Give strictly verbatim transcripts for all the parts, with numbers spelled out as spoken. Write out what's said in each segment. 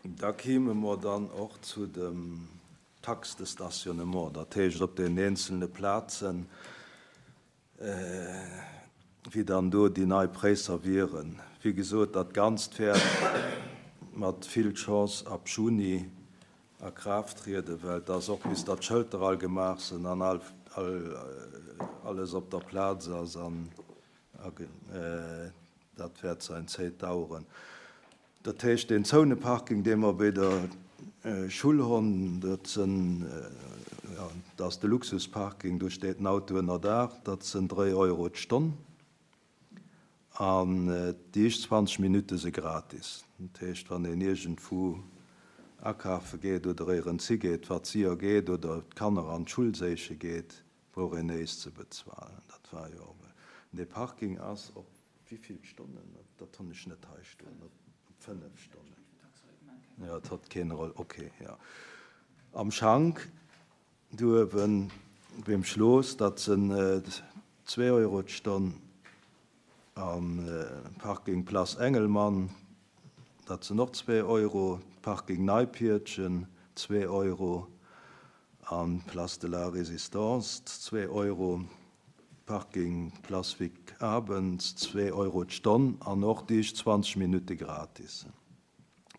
Da kéime mer dann och zu dem Taxe de stationnement, dat heescht op den eenzelne Plazen, wéi dann do déi nei Präisser wieren. Wéi gesot, dat Ganzt wäert mat vill Chance ab Juni a Kraaft trieden, well et ass och bis datt d'Schëlter all gemaach sinn an all, all, alles op der Plaz ass an dat wäert säin Zéit daueren. Dat heescht, deen Zouneparking, dee mer bei der Schull hunn, dat sinn, jo, dat ass de Luxusparking, do steet den Auto ënner Daach, dat sinn dréi Euro d'Stonn an déi éischt zwanzeg Minutte si gratis. Dat heescht, wann een iergendwou akafe geet oder éierens higeet, wat séier geet, oder d'Kanner an d'Schull séiche geet, brauch een néischt ze bezuelen. Dat war jo, dee Parking ass op wéi vill Stonnen? Dat hunn ech net hei stoen. Op fënnef Stonnen. Jo, et hat keen Roll. Ok, jo. Am Schank do uewen beim Schloss, dat sinn zwee Euro d'Stonn. Am Parking Place Engelmann, dat sinn och zwee Euro. Parking Neipiertchen, zwee Euro. An Place de la Résistance, zwee Euro. Parking Place Vic Abens, zwee Euro d'Stonn an och déi éischt zwanzeg Minutte gratis.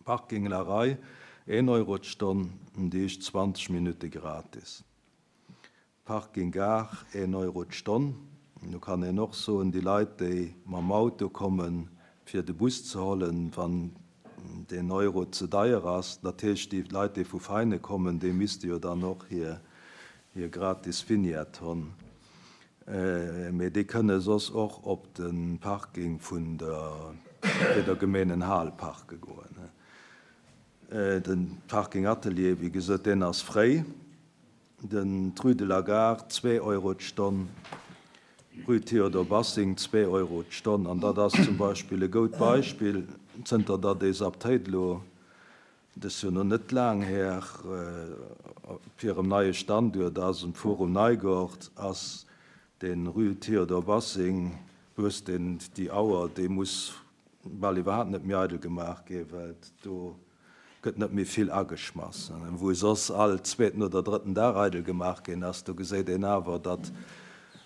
Parking La Rei, een Euro d'Stonn, déi éischt zwanzeg Minutte gratis. Parking Gare, een Euro d'Stonn. Do kann een och soen, déi Leit, déi mam Auto kommen, fir de Bus ze hollen, wann deen Euro ze deier ass, dat heescht, déi Leit, déi vu Veinen kommen, déi misste jo dann och hir gratis Vignette hunn. Mee déi kënne soss och op de Parking vun der bei der Gemeenenhal parke goen. De Parking Atelier, wéi gesot, deen ass fréi. Den d'Rue de la Gare, zwee Euro d'Stonn, Rue Théodore Bassing, zwee Euro d'Stonn. An dat ass zum Beispill e goud Beispill, zënter datt dee Saptéit elo, dat ass jo nach net laang här, op hirem neie Standuert ass, um Forum Neigort, ass dee Rue Théodore Bassing, wou deen déi Auer, déi muss bal iwwerhaapt net méi eidel gemaach ginn, well do gëtt net méi vill ageschmass. Wou soss all zweeten oder drëtten Dag eidel gemaach ginn ass, do geséit een awer, datt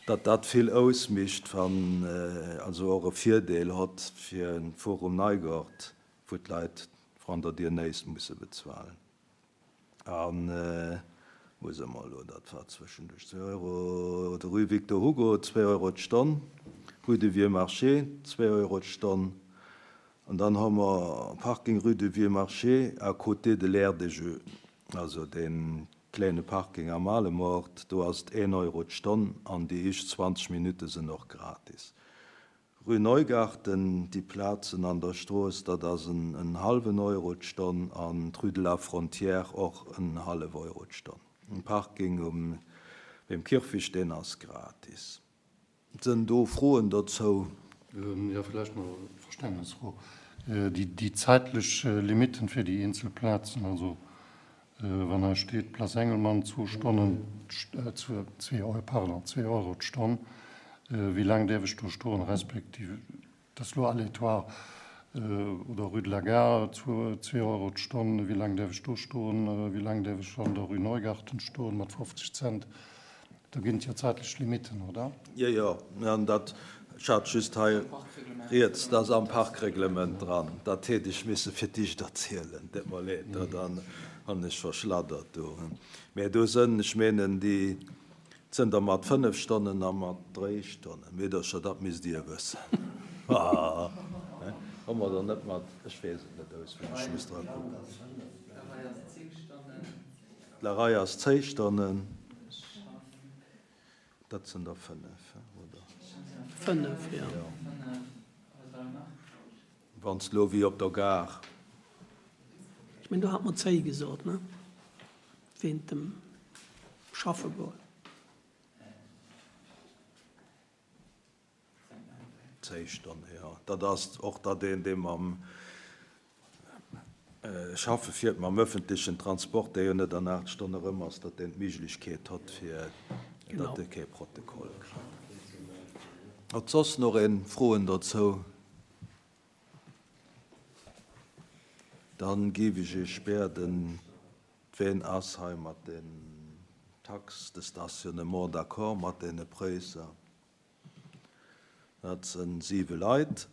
datt dat vill ausmécht, wann also och e Virdeel hott fir en Forum Neigort, wou d'Leit vrun der Dier néischt musse bezuelen. An wou si mer elo? Dat war zwëschenduerch zwee Euro. De Rue Victor Hugo, zwee Euro d'Stonn. Rue du Vieux Marché, zwee Euro d'Stonn. An dann hu mer Parking Rue du Vieux Marché à côté de l'aire de jeux, also dee klenge Parking am Alemort, do ass et een Euro d'Stonn an déi éischt zwanzeg Minutte sinn och gratis. Rue Neugarten, déi Plazen an der Strooss, dat ass en hallwen Euro d'Stonn an d'Rue de la Frontière och en hallef Euro d'Stonn. Den Parking um beim Kierfecht, deen ass gratis. Sënn do Froen dozou? Jo, vläicht nach e Verständnesfro. Déi zäitlech Limitten fir déi eenzel Plazen, also wann hei steet Place Engelmann zwou Stonnen, zwee Euro, pardon, zwee Euro d'Stonn, wéi laang däerf ech do stoen, respektiv, dat ass elo aléatoire, oder Rue de la Gare zwee Euro d'Stonn, wéi laang däerf ech do stoen, wéi laang däerf ech an der Rue Neugarten stoen mat fofzeg Cent? Do ginn et jo zäitlech Limitten, oder? Jo, jo, an dat, ech hat just hei riets, dat ass am Parkreglement dran. Dat hätt ech misse fir d'éischt erzielen, deet mer leed, dat hunn ech verschladdert do. Mä do sënn, ech menen, déi sënn der mat fënnef Stonnen a mat dréi Stonnen. Meedercher, dat misst Dir wëssen. Hu mer der net mat, ech weess et net auswenneg, ech muss dra kucken. D'Larei ass zéi Stonnen. Dat sinn der fënnef, oder? Fënnef, jo. Wann s elo wéi op der Gare. Ech mengen, do hat mer zéi gesot, ne? Wéint dem Schaffe goen. Zéi Stonne, jo. Dat ass och datt een, dee mam Schaffe fiert, mam öffentlichen Transport, dee jo net an aacht Stonne erëm ass, datt deen d'Méiglechkeet hott, fir datt e kee Protokoll kritt. Huet soss nach een Froen dozou? Dann géif ech Iech bieden, ween ass hei mat den Taxes de stationnement d'accord, mat deene Präisser? Dat sinn siwe Leit.